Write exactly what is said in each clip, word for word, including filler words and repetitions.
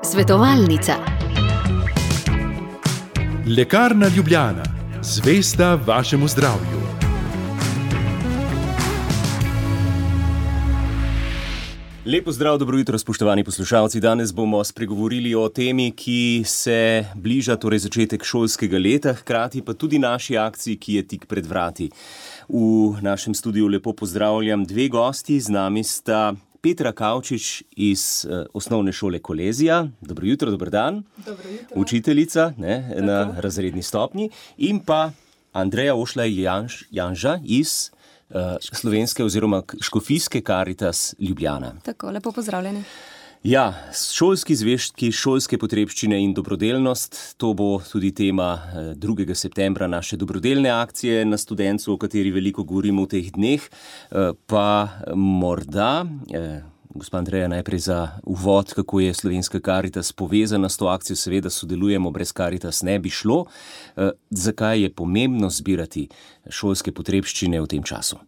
Svetovalnica. Lekarna Ljubljana, zvesta vašemu zdravju. Lepo zdrav, dobro jutro, spoštovani poslušalci. Danes bomo spregovorili o temi, ki se bliža, torej začetek šolskega leta, hkrati pa tudi naši akciji, ki je tik pred vrati. V našem studiu lepo pozdravljam dve gosti, z nami sta Petra Kavčič iz uh, osnovne šole Kolezija. Dobro jutro, dober dan. Dobro jutro. Učiteljica ne, na razredni stopnji. In pa Andreja Ošlaj Janž, Janža iz uh, slovenske oziroma škofijske Karitas Ljubljana. Tako, lepo pozdravljeni. Ja, šolski zvežki, šolske potrebščine in dobrodelnost, to bo tudi tema drugega septembra naše dobrodelne akcije na Studencu, o kateri veliko govorimo v teh dneh. Pa morda, gospa Andreja, najprej za uvod, kako je slovenska Karitas povezana s to akcijo, seveda sodelujemo, brez Karitas ne bi šlo. Zakaj je pomembno zbirati šolske potrebščine v tem času?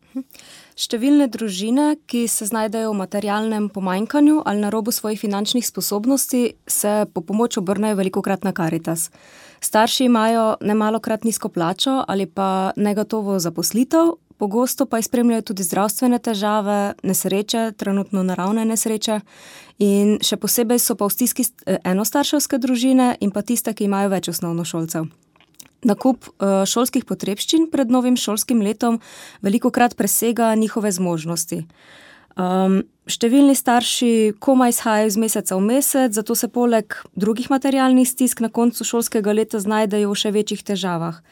Številne družine, ki se znajdejo v materialnem pomanjkanju ali na robu svojih finančnih sposobnosti, se po pomoč obrnejo velikokrat na Karitas. Starši imajo nemalokrat nizko plačo ali pa negotovo zaposlitev, pogosto pa jih spremljajo tudi zdravstvene težave, nesreče, trenutno naravne nesreče, in še posebej so pa v stiski enostarševske družine in pa tiste, ki imajo več osnovnošolcev. Nakup šolskih potrebščin pred novim šolskim letom velikokrat presega njihove zmožnosti. Um, številni starši komaj izhajajo iz meseca v mesec, zato se poleg drugih materialnih stisk na koncu šolskega leta znajdejo v še večjih težavah.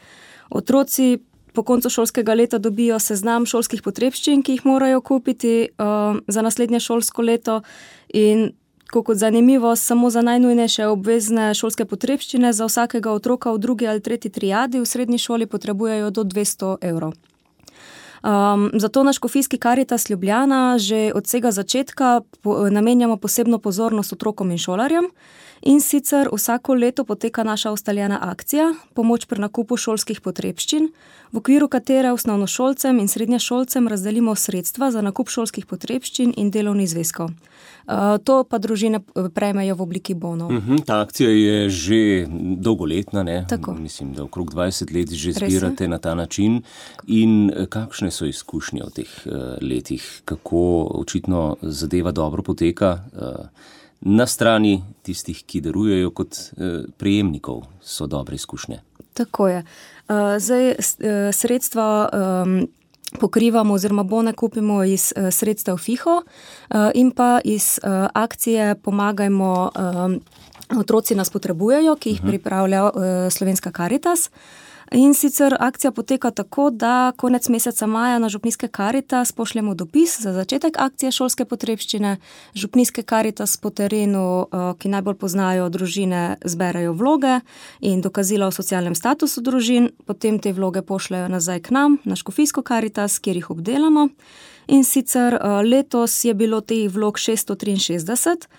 Otroci po koncu šolskega leta dobijo seznam šolskih potrebščin, ki jih morajo kupiti um, za naslednje šolsko leto, in kot zanimivo, samo za najnujnejše obvezne šolske potrebščine za vsakega otroka v drugi ali tretji triadi v srednji šoli potrebujejo do dvesto evrov. Um, zato na škofijski Karitas Ljubljana že od vsega začetka po, namenjamo posebno pozornost otrokom in šolarjem, in sicer vsako leto poteka naša ustaljena akcija Pomoč pri nakupu šolskih potrebščin, v okviru katere osnovnošolcem in srednješolcem razdelimo sredstva za nakup šolskih potrebščin in delovnih zvezkov. Uh, to pa družine prejmejo v obliki bonov. Uh-huh, ta akcija je že dolgoletna, ne? Tako. Mislim, da okrog dvajset let že zbirate na ta način. In kakšne so izkušnje v teh uh, letih? Kako očitno zadeva dobro poteka? Uh, Na strani tistih, ki darujejo, kot eh, prejemnikov, so dobre izkušnje. Tako je. Uh, zdaj, sredstva um, pokrivamo oziroma bone kupimo iz uh, sredstev FIHO uh, in pa iz uh, akcije Pomagajmo, um, otroci nas potrebujejo, ki jih uh-huh. pripravlja uh, slovenska Karitas. In sicer akcija poteka tako, da konec meseca maja na župnijske Karitas pošljemo dopis za začetek akcije šolske potrebščine. Župnijske Karitas po terenu, ki najbolj poznajo družine, zberajo vloge in dokazila o socialnem statusu družin, potem te vloge pošljajo nazaj k nam, na škofijsko Karitas, kjer jih obdelamo. In sicer letos je bilo teh vlog šeststo triinšestdeset.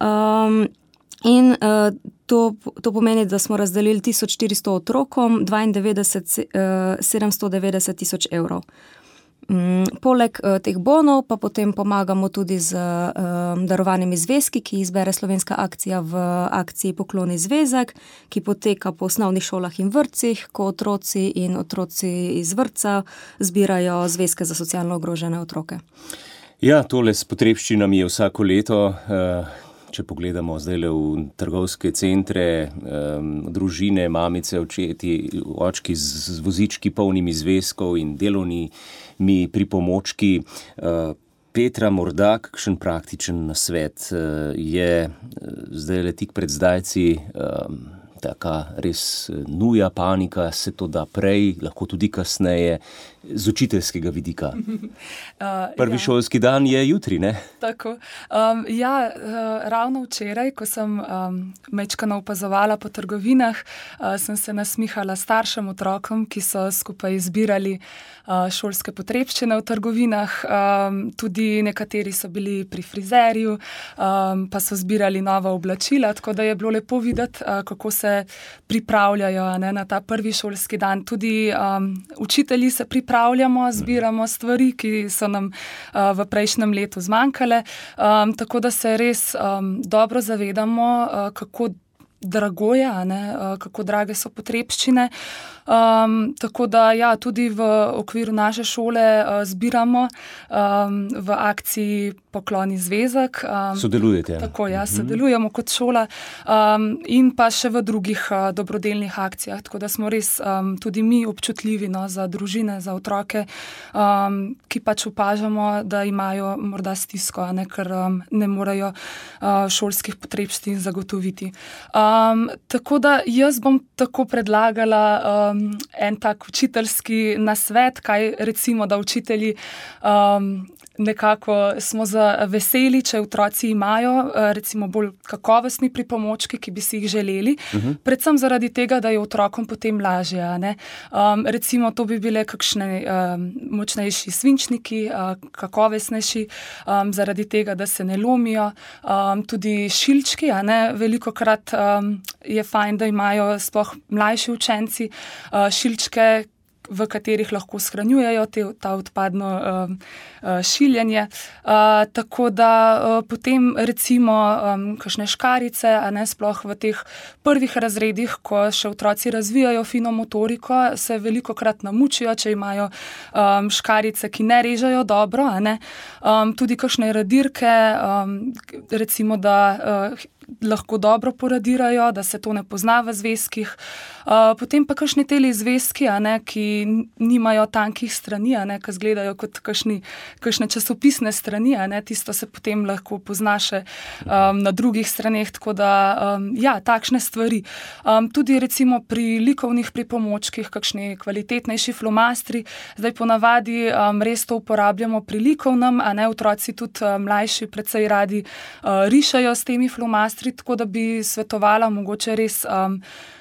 Um, In uh, to, to pomeni, da smo razdelili tisoč štiristo otrokom, dvaindevetdeset, sedemsto devetdeset tisoč evrov. Um, poleg uh, teh bonov pa potem pomagamo tudi z uh, darovanimi zvezki, ki izbere slovenska akcija v akciji Pokloni zvezek, ki poteka po osnovnih šolah in vrtcih, ko otroci in otroci iz vrtca zbirajo zvezke za socialno ogrožene otroke. Ja, tole s potrebščinami je vsako leto. Uh... Če pogledamo zdaj le v trgovske centre, um, družine, mamice, očeti, očki z vozički polnimi zvezkov in delovnimi pripomočki. Uh, Petra, morda kakšen praktičen nasvet uh, je zdaj le tik pred zdajci, um, taka res nuja, panika, se to da prej, lahko tudi kasneje, z učiteljskega vidika. Uh, Prvi ja. šolski dan je jutri, ne? Tako. Um, ja, uh, ravno včeraj, ko sem um, mečkano opazovala po trgovinah, uh, sem se nasmihala staršem otrokom, ki so skupaj izbirali uh, šolske potrebščine v trgovinah. Um, tudi nekateri so bili pri frizerju, um, pa so zbirali nova oblačila, tako da je bilo lepo videti, uh, kako se se pripravljajo ne, na ta prvi šolski dan. Tudi um, učitelji se pripravljamo, zbiramo stvari, ki so nam uh, v prejšnjem letu zmanjkale, um, tako da se res um, dobro zavedamo, uh, kako drago je, ne, uh, kako drage so potrebščine. Um, tako da ja, tudi v okviru naše šole uh, zbiramo um, v akciji Pokloni zvezek. Um, Sodelujete? Tako, ja, sodelujemo kot šola um, in pa še v drugih uh, dobrodelnih akcijah, tako da smo res um, tudi mi občutljivi no, za družine, za otroke, um, ki pač opažamo, da imajo morda stisko, ne, ker um, ne morejo uh, šolskih potrebščin zagotoviti. Um, tako da jaz bom tako predlagala um, en tak učiteljski nasvet, kaj recimo, da učitelji um, nekako smo veseli, če otroci imajo recimo bolj kakovostni pripomočki, ki bi si jih želeli, uh-huh. predvsem zaradi tega, da je otrokom potem lažje. Ne? Um, recimo to bi bile kakšne um, močnejši svinčniki, uh, kakovostnejši, um, zaradi tega, da se ne lomijo. Um, tudi šilčki, a ne? Velikokrat um, je fajn, da imajo sploh mlajši učenci uh, šilčke, v katerih lahko shranjujejo te, ta odpadno uh, uh, šiljenje. Uh, tako da uh, potem recimo um, kakšne škarice, a ne sploh v teh prvih razredih, ko še otroci razvijajo fino motoriko, se velikokrat namučijo, če imajo um, škarice, ki ne režejo dobro, a ne. Um, tudi kakšne radirke, um, recimo, da uh, lahko dobro poradirajo, da se to ne pozna v zvezkih. Uh, potem pa kakšni teli zvezki, a ne, ki nimajo tankih strani, a ne, ki izgledajo kot kakšni, kakšne časopisne strani, a ne, tisto se potem lahko pozna še um, na drugih straneh, tako da um, ja, takšne stvari. Um, tudi recimo pri likovnih pripomočkih, kakšni kvalitetnejši flomastri, zdaj ponavadi um, res to uporabljamo pri likovnem, a ne, otroci tudi um, mlajši precej radi uh, rišajo s temi flomastri, tako da bi svetovala mogoče res, um,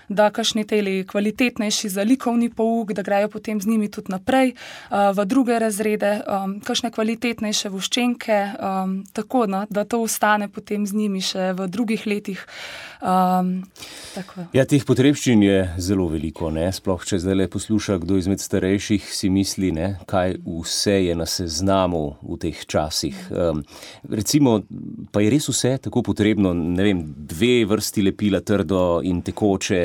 da kakšni teli kvalitetnejši za likovni pouk, da grejo potem z njimi tudi naprej uh, v druge razrede, um, kakšne kvalitetnejše voščenke, um, tako, no, da to ostane potem z njimi še v drugih letih. Um, tako. Ja, teh potrebščin je zelo veliko, ne? Sploh, če zdaj le posluša kdo izmed starejših, si misli, ne, kaj vse je na seznamu v teh časih. Um, recimo, pa je res vse tako potrebno, ne vem, dve vrsti lepila, trdo in tekoče,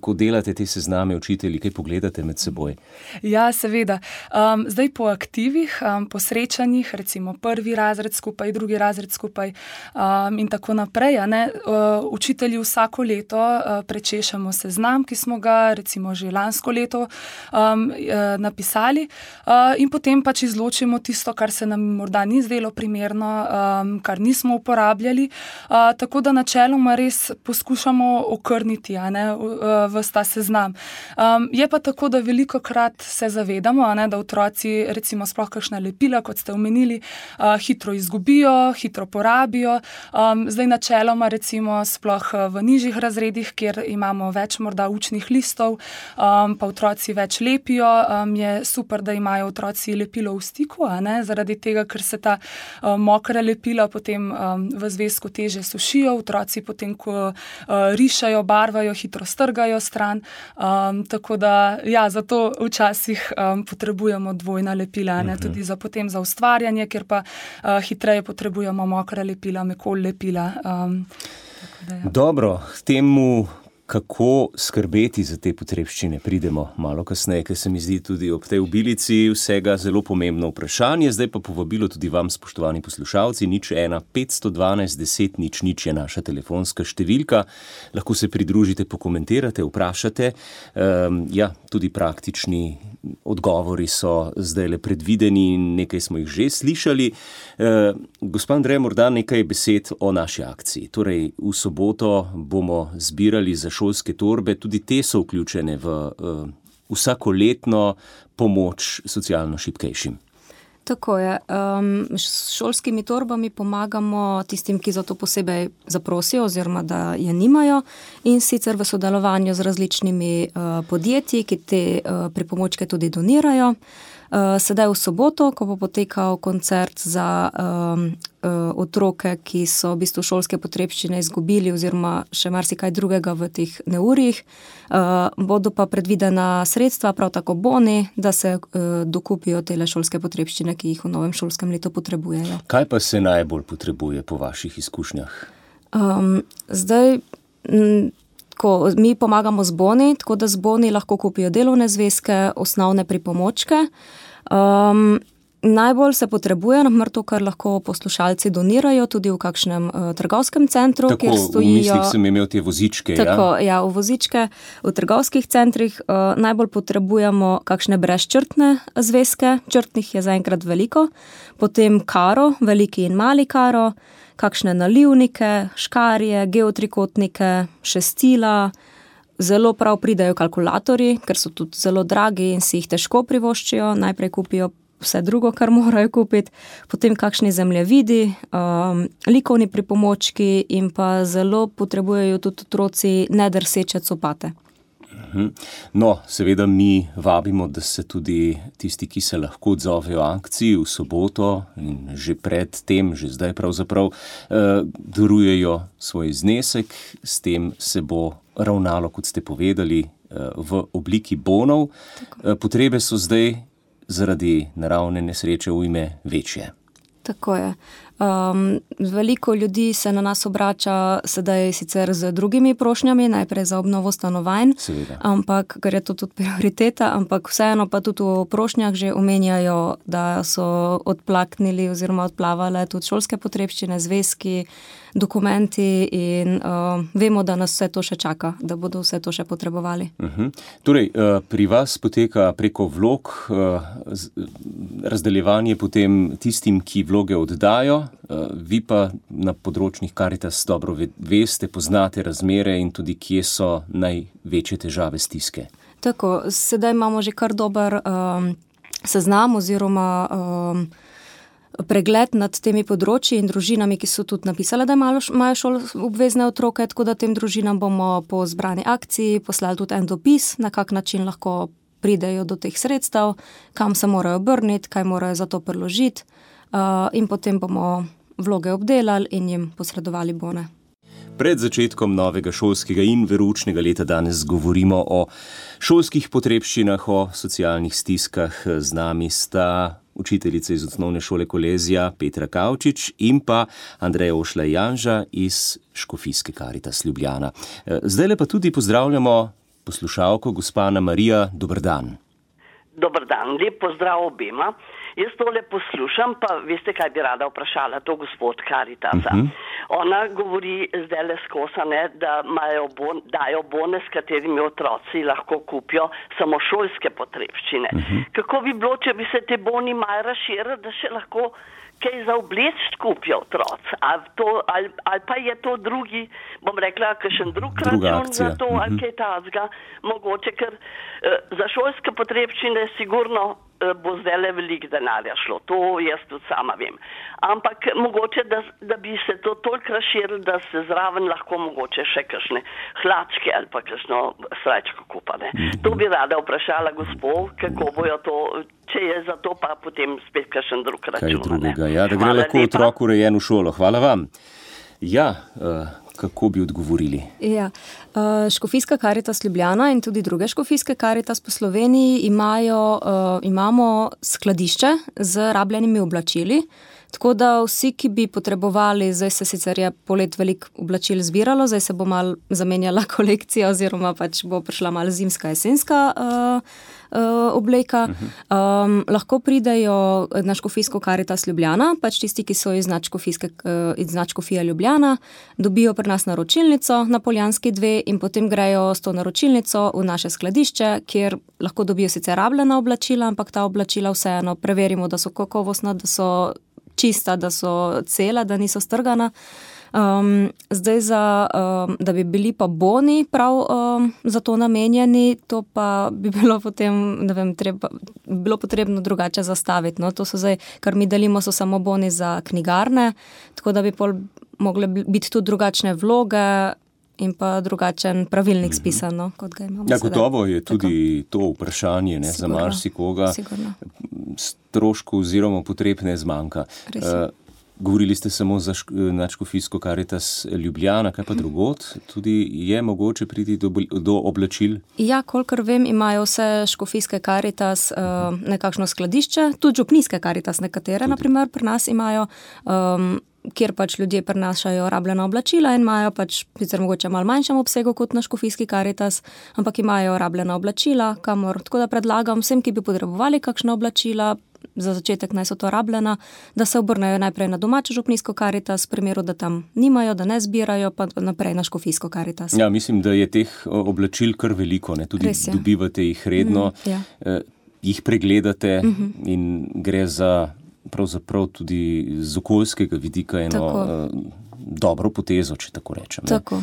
ko delate te sezname učitelji, kaj pogledate med seboj? Ja, seveda. Um, zdaj po aktivih, um, po srečanjih, recimo prvi razred skupaj, drugi razred skupaj um, in tako naprej, a ne, uh, učitelji vsako leto uh, prečešamo seznam, ki smo ga recimo že lansko leto um, uh, napisali uh, in potem pač izločimo tisto, kar se nam morda ni zdelo primerno, um, kar nismo uporabljali, uh, tako da načeloma res poskušamo okrniti, a ne, v ta seznam. Um, je pa tako, da velikokrat se zavedamo, a ne, da otroci recimo sploh kakšna lepila, kot ste omenili, uh, hitro izgubijo, hitro porabijo. Um, zdaj načeloma recimo sploh v nižjih razredih, kjer imamo več morda učnih listov, um, pa otroci več lepijo, um, je super, da imajo otroci lepilo v stiku, a ne, zaradi tega, ker se ta um, mokra lepila potem um, v zvezku teže sušijo, otroci potem, ko uh, rišajo, barvajo, hitro strgajo stran, um, tako da ja, zato včasih um, potrebujemo dvojna lepila, ne, uh-huh. tudi za potem za ustvarjanje, ker pa uh, hitreje potrebujemo mokra lepila, mekol lepila. Um, tako da, ja. Dobro, temu kako skrbeti za te potrebščine, pridemo malo kasneje, ker se mi zdi tudi ob tej obilici vsega zelo pomembno vprašanje. Zdaj pa povabilo tudi vam, spoštovani poslušalci, nič ena petsto dvanajst deset nič nič je naša telefonska številka. Lahko se pridružite, pokomentirate, vprašate. Um, ja, tudi praktični odgovori so zdaj le predvideni in nekaj smo jih že slišali. Uh, gospa Andreja, morda nekaj besed o naši akciji. Torej, v soboto bomo zbirali za šolske torbe, tudi te so vključene v uh, vsakoletno pomoč socialno šibkejšim. Tako je. Um, s šolskimi torbami pomagamo tistim, ki za to posebej zaprosijo oziroma da je nimajo, in sicer v sodelovanju z različnimi uh, podjetji, ki te uh, pripomočke tudi donirajo. Sedaj v soboto, ko bo potekal koncert za um, uh, otroke, ki so v bistvu šolske potrebščine izgubili oziroma še marsikaj drugega v teh neurjih, uh, bodo pa predvidena sredstva, prav tako boni, da se uh, dokupijo tele šolske potrebščine, ki jih v novem šolskem letu potrebujejo. Kaj pa se najbolj potrebuje po vaših izkušnjah? Um, zdaj... M, Ko mi pomagamo z boni, tako da z boni lahko kupijo delovne zvezke, osnovne pripomočke. Um, najbolj se potrebuje, naprimer to, kar lahko poslušalci donirajo tudi v kakšnem uh, trgovskem centru, tako, kjer stojijo... Tako, v mislih sem imel te vozičke, tako, ja? Ja, v vozičke, v trgovskih centrih uh, najbolj potrebujemo kakšne brezčrtne zvezke, črtnih je zaenkrat veliko, potem karo, veliki in mali karo, kakšne nalivnike, škarje, geotrikotnike, šestila, zelo prav pridajo kalkulatorji, ker so tudi zelo dragi in si jih težko privoščijo, najprej kupijo vse drugo, kar morajo kupiti, potem kakšni zemljevidi, um, likovni pripomočki in pa zelo potrebujejo tudi otroci nedrseče copate. No, seveda mi vabimo, da se tudi tisti, ki se lahko odzovejo akciji v soboto in že pred tem, že zdaj pravzaprav, eh, darujejo svoj znesek, s tem se bo ravnalo, kot ste povedali, eh, v obliki bonov. Eh, potrebe so zdaj zaradi naravne nesreče ujme večje. Tako je. Um, veliko ljudi se na nas obrača sedaj sicer z drugimi prošnjami, najprej za obnovo stanovanj, Seveda. ampak, ker je to tudi prioriteta, ampak vseeno pa tudi v prošnjah že omenjajo, da so odplaknili oziroma odplavale tudi šolske potrebščine, zvezki, dokumenti in uh, vemo, da nas vse to še čaka, da bodo vse to še potrebovali. Uh-huh. Torej, pri vas poteka preko vlog razdeljevanje potem tistim, ki vloge oddajo, vi pa na področjih Karitas dobro veste, poznate razmere in tudi kje so največje težave, stiske. Tako, sedaj imamo že kar dober um, seznam oziroma um, pregled nad temi področji in družinami, ki so tudi napisali, da imajo šol obvezne otroke, tako da tem družinam bomo po zbrani akciji poslali tudi en dopis, na kak način lahko pridejo do teh sredstev, kam se morajo obrniti, kaj morajo za to priložiti uh, in potem bomo vloge obdelali in jim posredovali bone. Pred začetkom novega šolskega in veroučnega leta danes govorimo o šolskih potrebščinah, o socialnih stiskah. Z nami sta učiteljica iz osnovne šole Kolezija Petra Kavčič in pa Andreja Ošla Janža iz Škofijske Karitas Ljubljana. Zdajle pa tudi pozdravljamo poslušalko gospa Ana Marija. Dober dan. Dober dan, lep pozdrav obema. Jaz tole poslušam, pa veste, kaj bi rada vprašala, to gospod Karitasa. Uh-huh. Ona govori zdajle skosane, da imajo bon, dajo bone, s katerimi otroci lahko kupijo samo šolske potrebščine. Uh-huh. Kako bi bilo, če bi se te boni malo razširili, da še lahko kaj za obleč kupijo otroci? Ali, ali, ali pa je to drugi, bom rekla, kakšen drug račun za to, uh-huh. ali kaj tazga, mogoče, ker eh, za šolske potrebščine sigurno bo zdajle veliko denarja šlo, to jaz tudi sama vem. Ampak mogoče, da, da bi se to toliko razširilo, da se zraven lahko mogoče še kakšne hlačke ali pa kakšno srajčko kupane. Mm-hmm. To bi rada vprašala gospod, kako bojo to, če je za to pa potem spet kakšen drug račun. Kaj drugega, ja, da gre Hvala lahko lepa. Otrok urejen v šolo. Hvala vam. Ja, uh... kako bi odgovorili? Ja, Škofijska Karitas Ljubljana in tudi druge Škofijske Karitas po Sloveniji imajo, imamo skladišče z rabljenimi oblačili, tako da vsi, ki bi potrebovali, zdaj se sicer je polet veliko oblačil zbiralo, zdaj se bo malo zamenjala kolekcija oziroma pač bo prišla malo zimska, jesenska uh, uh, obleka. Um, lahko pridejo na Škofijsko Karitas Ljubljana, pač tisti, ki so iz Škofije Ljubljana, dobijo pri nas naročilnico na Poljanski dve in potem grejo s to naročilnico v naše skladišče, kjer lahko dobijo sicer rabljena oblačila, ampak ta oblačila vseeno preverimo, da so kakovostna, da so čista, da so cela, da niso strgana. Um, zdaj, za, um, da bi bili pa boni prav um, za to namenjeni, to pa bi bilo potem, ne vem, treba, bilo potrebno drugače zastaviti. No? To so zdaj, kar mi delimo, so samo boni za knjigarne, tako da bi pol mogle biti tudi drugačne vloge in pa drugačen pravilnik spisano, kot ga imamo ja, sedaj. Gotovo je tudi tako. To vprašanje ne, za marsikoga. Sigurno. stroškov oziroma potreb ne zmanjka. Govorili ste samo za nadškofijsko Karitas Ljubljana, kaj pa drugod? Tudi je mogoče priti do, do oblačil? Ja, kolikor vem, imajo vse škofijske Karitas uh, nekakšno skladišče, tudi župnijske Karitas nekatere, tudi. Naprimer, pri nas imajo, um, kjer pač ljudje prinašajo rabljena oblačila in imajo pač, sicer mogoče malo manjšem obsegu kot na škofijski Karitas, ampak imajo rabljena oblačila, kamor, tako da predlagam vsem, ki bi potrebovali kakšna oblačila, za začetek naj so to rabljena, da se obrnejo najprej na domačo župnijsko Karitas, v primeru, da tam nimajo, da ne zbirajo, pa naprej na škofijsko Karitas. Ja, mislim, da je teh oblačil kar veliko, ne? Tudi dobivate jih redno, mm, ja. eh, jih pregledate mm-hmm. in gre za pravzaprav tudi z okoljskega vidika eno eh, dobro potezo, če tako rečem. Tako.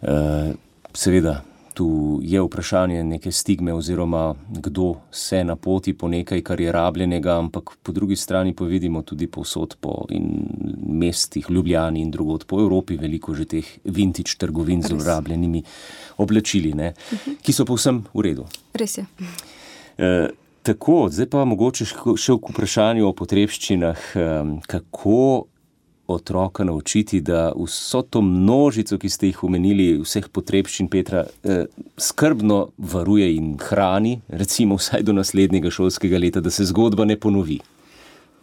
Eh, seveda, tu je vprašanje neke stigme oziroma kdo se napoti po nekaj, kar je rabljenega, ampak po drugi strani pa vidimo tudi povsod po in mestih, Ljubljani in drugod po Evropi veliko že teh vintage trgovin z rabljenimi oblačili, ne, uh-huh. ki so povsem v redu. Res je. E, tako, zdaj pa mogoče še k vprašanju o potrebščinah, kako otroka naučiti, da vso to množico, ki ste jih omenili, vseh potrebščin Petra, eh, skrbno varuje in hrani, recimo vsaj do naslednjega šolskega leta, da se zgodba ne ponovi.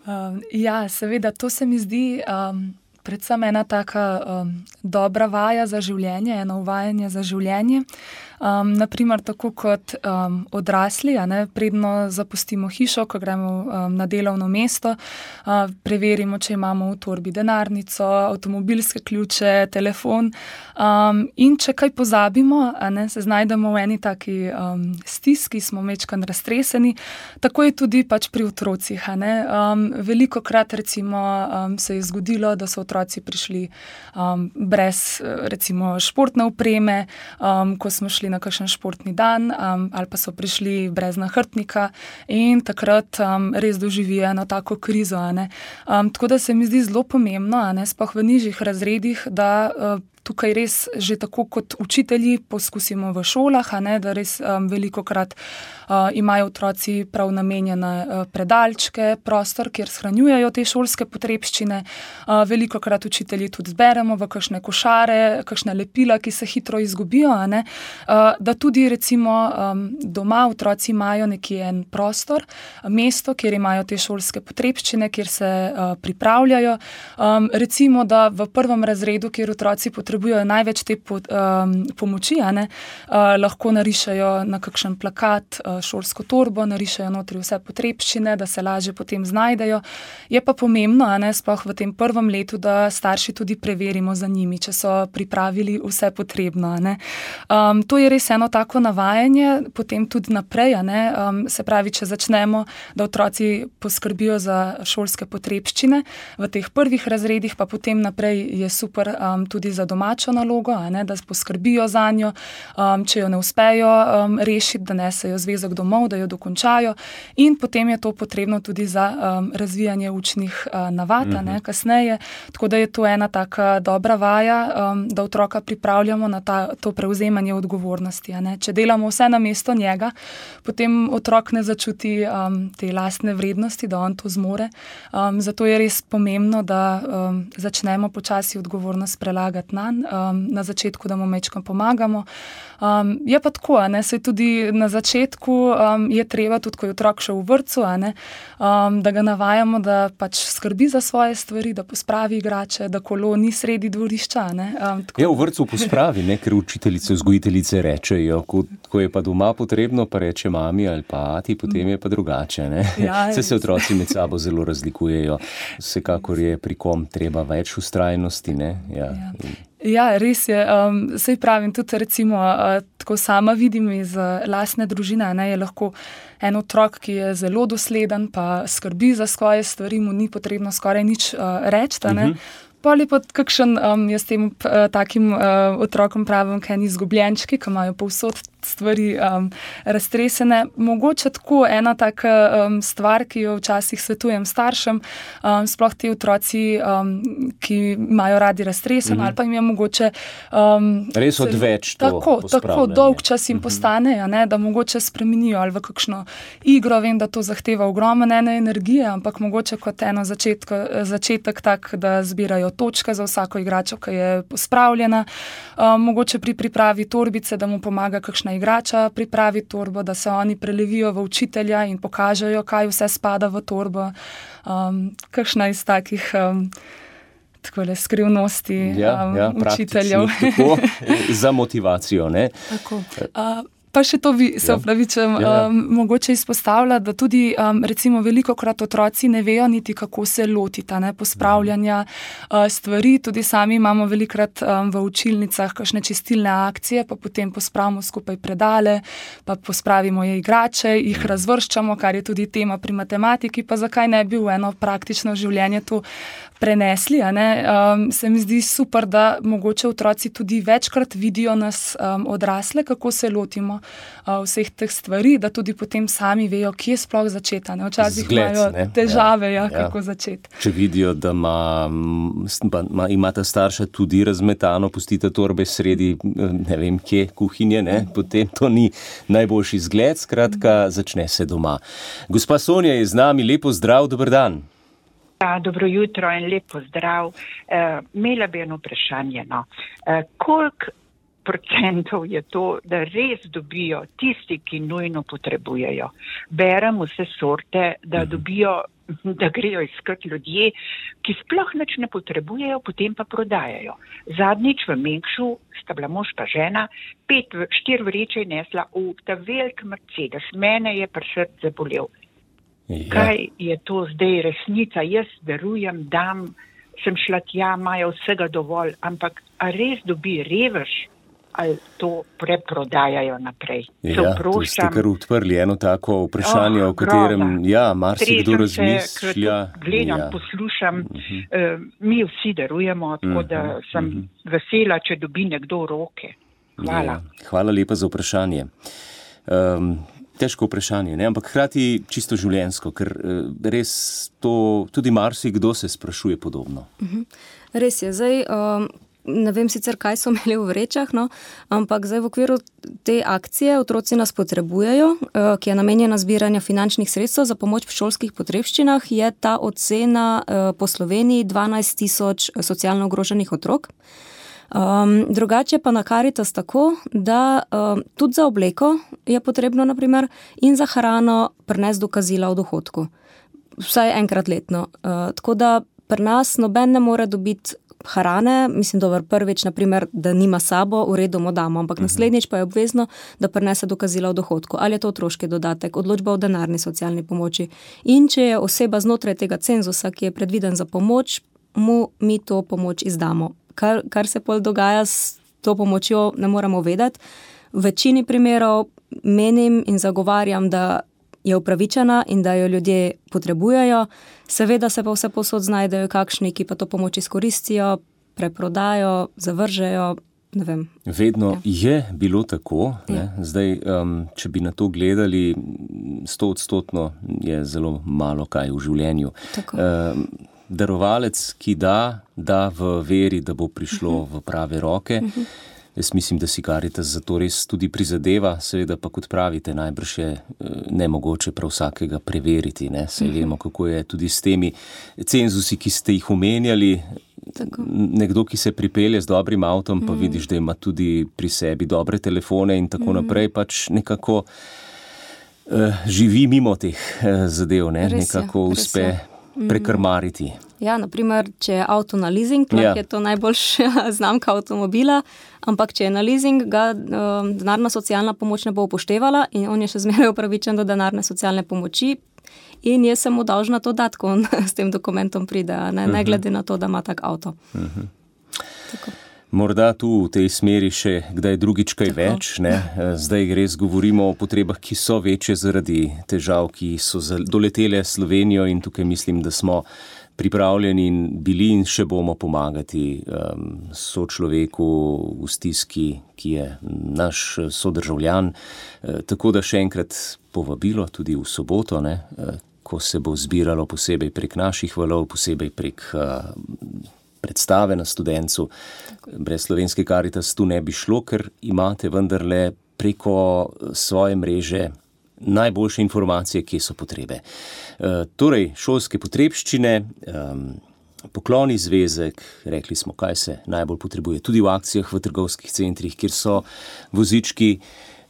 Um, ja, seveda, to se mi zdi um, predvsem ena taka um, dobra vaja za življenje, eno uvajanje za življenje. Um, naprimer, tako kot um, odrasli, a ne, predno zapustimo hišo, ko gremo um, na delovno mesto, uh, preverimo, če imamo v torbi denarnico, avtomobilske ključe, telefon um, in če kaj pozabimo, a ne, se znajdemo v eni taki um, stiski, smo mečkan raztreseni, tako je tudi pač pri otrocih. A ne. Um, veliko krat recimo um, se je zgodilo, da so otroci prišli um, brez recimo športne opreme, um, ko smo šli na kakšen športni dan um, ali pa so prišli brez nahrbtnika in takrat um, res doživijo eno tako krizo. A ne. Um, tako da se mi zdi zelo pomembno, a ne, sploh v nižjih razredih, da uh, tukaj res že tako kot učitelji poskusimo v šolah, a ne, da res um, veliko krat uh, imajo otroci prav namenjene uh, predalčke, prostor, kjer shranjujejo te šolske potrebščine. Uh, veliko krat učitelji tudi zberemo v kakšne košare, kakšne lepila, ki se hitro izgubijo, a ne, uh, da tudi recimo um, doma otroci imajo nekje en prostor, mesto, kjer imajo te šolske potrebščine, kjer se uh, pripravljajo. Um, recimo, da v prvem razredu, kjer otroci potrebujejo potrebujejo največ te po, um, pomoči, a ne, uh, lahko narišajo na kakšen plakat uh, šolsko torbo, narišajo notri vse potrebščine, da se lažje potem znajdejo. Je pa pomembno, a ne, sploh v tem prvem letu, da starši tudi preverimo za njimi, če so pripravili vse potrebno. A ne. Um, to je res eno tako navajanje, potem tudi naprej, a ne, um, se pravi, če začnemo, da otroci poskrbijo za šolske potrebščine v teh prvih razredih, pa potem naprej je super um, tudi za doma nalogo, a ne, da poskrbijo za njo, um, če jo ne uspejo um, rešiti, da nesejo zvezek domov, da jo dokončajo in potem je to potrebno tudi za um, razvijanje učnih uh, navad, mm-hmm. ne, kasneje, tako da je to ena taka dobra vaja, um, da otroka pripravljamo na ta, to prevzemanje odgovornosti. A ne. Če delamo vse na mesto njega, potem otrok ne začuti um, te lastne vrednosti, da on to zmore. Um, zato je res pomembno, da um, začnemo počasi odgovornost prelagati na Um, na začetku, da mu mečkam pomagamo. Um, je pa tako, a ne, saj tudi na začetku um, je treba, tudi ko je otrok še v vrtcu, a ne, um, da ga navajamo, da pač skrbi za svoje stvari, da pospravi igrače, da kolo ni sredi dvorišča. Ne, um, ja, v vrtcu pospravi, ne, ker učiteljice, vzgojiteljice rečejo, ko, ko je pa doma potrebno, pa reče mami ali pa ati, potem je pa drugače. Ne. Ja, se se otroci med sabo zelo razlikujejo. Vsekakor je pri kom treba več vztrajnosti. Ne. Ja. Ja. Ja, res je. Um, sej pravim, tudi recimo, uh, tako sama vidim iz uh, lastne družine, ne, je lahko en otrok, ki je zelo dosleden, pa skrbi za svoje stvari, mu ni potrebno skoraj nič uh, reči, ne. Uh-huh. Pol je pa kakšen, um, jaz tem uh, takim uh, otrokom pravim, kaj ni izgubljenčki, ki imajo povsod stvari um, raztresene. Mogoče tako ena taka um, stvar, ki jo včasih svetujem staršem, um, sploh ti otroci, um, ki imajo radi raztresen, mm-hmm. ali pa jim je mogoče um, res odveč to tako, tako dolg čas jim mm-hmm. postane, ne, da mogoče spremenijo ali v kakšno igro. Vem, da to zahteva ogromno ene energije, ampak mogoče kot eno začetko, začetek tak, da zbirajo točke za vsako igračo, ki je pospravljena. Um, mogoče pri pripravi torbice, da mu pomaga kakšna igrača pripravi torbo, da se oni prelevijo v učitelja in pokažejo, kaj vse spada v torbo. Um, kakšna iz takih um, takole skrivnosti ja, um, ja, učiteljev. Tako, za motivacijo, ne? Tako. Uh, Pa še to vi, se opravičem, ja. um, mogoče izpostavlja, da tudi um, recimo velikokrat otroci ne vejo niti, kako se lotita ne, pospravljanja uh, stvari. Tudi sami imamo velikrat um, v učilnicah kakšne čistilne akcije, pa potem pospravimo skupaj predale, pa pospravimo je igrače, jih razvrščamo, kar je tudi tema pri matematiki, pa zakaj ne bi v eno praktično življenje to prenesli. A ne? Um, se mi zdi super, da mogoče otroci tudi večkrat vidijo nas um, odrasle, kako se lotimo uh, vseh teh stvari, da tudi potem sami vejo, kje sploh začeti. Včasih Zgled, imajo ne? težave, ja, Ja, ja, kako ja. začeti. Če vidijo, da ima, ima, imata starša tudi razmetano, pustite torbe sredi, ne vem kje, kuhinje, ne? Potem to ni najboljši zgled, skratka, začne se doma. Gospa Sonja je z nami, lepo zdrav, dober dan. Ja, dobro jutro in lepo zdrav. Uh, imela bi eno vprašanje. No. Uh, koliko procentov je to, da res dobijo tisti, ki nujno potrebujejo? Berem vse sorte, da dobijo, da grejo iskat ljudje, ki sploh nič ne potrebujejo, potem pa prodajajo. Zadnjič v Mengšu sta bila mož pa žena, pet, štir vreče je nesla v ta velik Mercedes. Mene je pri srce bolel. Ja. Kaj je to zdaj resnica? Jaz verujem, dam, sem šla tja, imajo vsega dovolj, ampak a res dobi revež ali to preprodajajo naprej? Ja, tu ste kar odprli eno tako vprašanje, oh, o katerem ja, marsikdo razmišlja. Gledam, ja. poslušam, uh-huh. uh, mi vsi darujemo, tako uh-huh. da sem uh-huh. vesela, če dobi nekdo roke. Hvala. Ja, hvala lepa za vprašanje. Um, Težko vprašanje, ne? Ampak hkrati čisto življenjsko, ker res to tudi marsikdo se sprašuje podobno. Uh-huh. Res je, zdaj um, ne vem sicer, kaj so imeli v vrečah, no, ampak zdaj v okviru te akcije Otroci nas potrebujejo, uh, ki je namenjena zbiranja finančnih sredstev za pomoč v šolskih potrebščinah, je ta ocena uh, po Sloveniji dvanajst tisoč socialno ogroženih otrok. Um, drugače pa na Karitas tako, da um, tudi za obleko je potrebno, naprimer, in za hrano prinesti dokazila o dohodku. Vsaj enkrat letno. Uh, tako da pri nas noben ne more dobiti hrane, mislim, dober, prvič, naprimer, da nima sabo, v redu mu damo, ampak uh-huh. naslednjič pa je obvezno, da prinese dokazila o dohodku. Ali je to otroški dodatek, odločba o denarni socialni pomoči. In če je oseba znotraj tega cenzusa, ki je predviden za pomoč, mu mi to pomoč izdamo. Kar, kar se pol dogaja s to pomočjo, ne moramo vedeti. V večini primerov menim in zagovarjam, da je upravičena in da jo ljudje potrebujejo. Seveda se pa vse povsod znajdejo kakšni, ki pa to pomoč izkoristijo, preprodajo, zavržejo, ne vem. Vedno ja. je bilo tako. Ne? Ja. Zdaj, um, če bi na to gledali, sto odstotno je zelo malo kaj v življenju. Tako. Um, darovalec, ki da, da v veri, da bo prišlo uh-huh. v prave roke. Uh-huh. Jaz mislim, da si Karitas za to res tudi prizadeva, seveda pa kot pravite, najbrž je nemogoče prav vsakega preveriti. Ne? Saj uh-huh. vemo, kako je tudi s temi cenzusi, ki ste jih omenjali. Tako. Nekdo, ki se pripelje z dobrim avtom, pa uh-huh. vidiš, da ima tudi pri sebi dobre telefone in tako uh-huh. naprej, pač nekako uh, živi mimo teh uh, zadev, ne? Nekako je, uspe prekrmariti. Ja, naprimer, če je avto na leasing, lahko ja. je to najboljša znamka avtomobila, ampak če je na leasing, ga um, denarna socialna pomoč ne bo upoštevala in on je še zmeraj upravičen do denarne socialne pomoči in jaz sem mu dolžna to dati, ko on s tem dokumentom pride, ne, uh-huh. ne glede na to, da ima tak avto. Uh-huh. Tako. Morda tu v tej smeri še kdaj drugič kaj Tako. več. Ne? Zdaj res govorimo o potrebah, ki so večje zaradi težav, ki so doletele Slovenijo in tukaj mislim, da smo pripravljeni in bili in še bomo pomagati um, sočloveku v stiski, ki je naš sodržavljan. E, tako da še enkrat povabilo tudi v soboto, ne, e, ko se bo zbiralo posebej prek naših valov, posebej prek uh, predstave na Studencu. Brez Slovenske Karitas tu ne bi šlo, ker imate vendarle preko svoje mreže najboljše informacije, kje so potrebe. E, torej, šolske potrebščine, um, pokloni zvezek, rekli smo, kaj se najbolj potrebuje, tudi v akcijah v trgovskih centrih, kjer so vozički.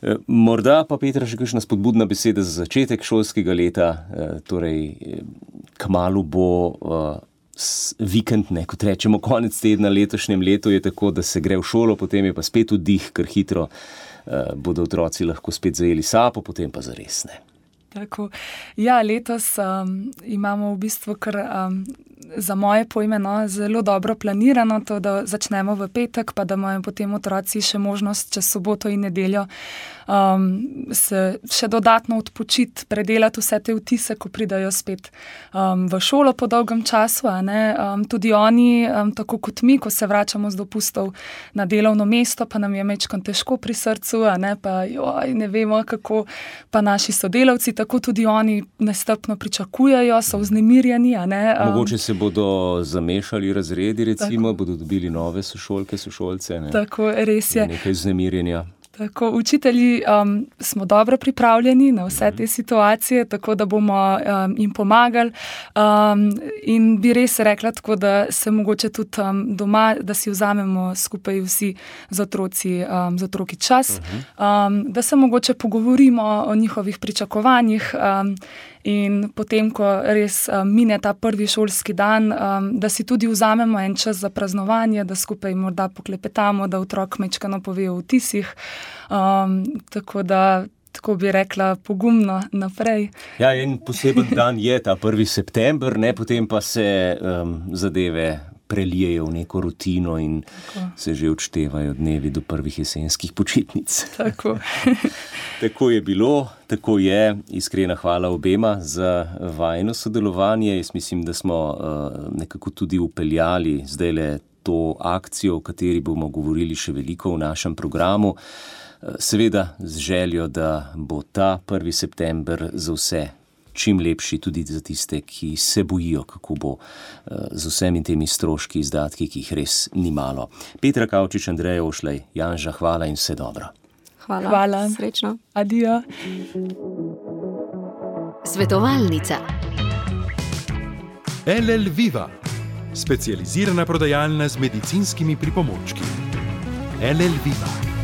E, morda pa, Petra, še kakšna spodbudna beseda za začetek šolskega leta, e, torej, kmalu bo e, vikend, ne, kot rečemo, konec tedna letošnjem letu je tako, da se gre v šolo, potem je pa spet vdih, ker hitro uh, bodo otroci lahko spet zajeli sapo, potem pa zares ne. Tako. Ja, letos um, imamo v bistvu kar um, za moje pojme no, zelo dobro planirano to, da začnemo v petek, pa da imajo potem otroci še možnost čez soboto in nedeljo um, se še dodatno odpočiti, predelati vse te vtise, ko pridajo spet um, v šolo po dolgem času. A ne? Um, tudi oni, um, tako kot mi, ko se vračamo z dopustov na delovno mesto, pa nam je mečkam težko pri srcu, a ne? Pa joj, ne vemo, kako pa naši sodelavci, tako tudi oni nestrpno pričakujejo, so vznemirjeni. A ne? Um, Mogoče se bodo zamešali razredi, recimo, tako. Bodo dobili nove sošolke, sošolce. Ne? Tako, res je. Nekaj vznemirjenja. Tako, učitelji um, smo dobro pripravljeni na vse te situacije, tako da bomo um, jim pomagali um, in bi res rekla tako, da se mogoče tudi um, doma, da si vzamemo skupaj vsi z otroci, um, z otroki čas, um, da se mogoče pogovorimo o njihovih pričakovanjih um, in potem, ko res um, mine ta prvi šolski dan, um, da si tudi vzamemo en čas za praznovanje, da skupaj morda poklepetamo, da otrok mečkano pove o vtisih. Um, tako da, tako bi rekla, pogumno naprej. Ja, en poseben dan je ta prvi september, ne, potem pa se um, zadeve prelijejo v neko rutino in tako. Se že odštevajo dnevi do prvih jesenskih počitnic. Tako. Tako je bilo, tako je. Iskrena hvala obema za vajino sodelovanje. Jaz mislim, da smo uh, nekako tudi upeljali zdajle to akcijo, o kateri bomo govorili še veliko v našem programu. Seveda z željo, da bo ta prvi september za vse čim lepši, tudi za tiste, ki se bojijo, kako bo z vsemi temi stroški, izdatki, ki jih res ni malo. Petra Kavčič, Andreja Ošlej, Janža, hvala in vse dobro. Hvala. Hvala. Srečno. Adijo. Svetovalnica. L L Viva, specializirana prodajalna z medicinskimi pripomočki. L L Viva.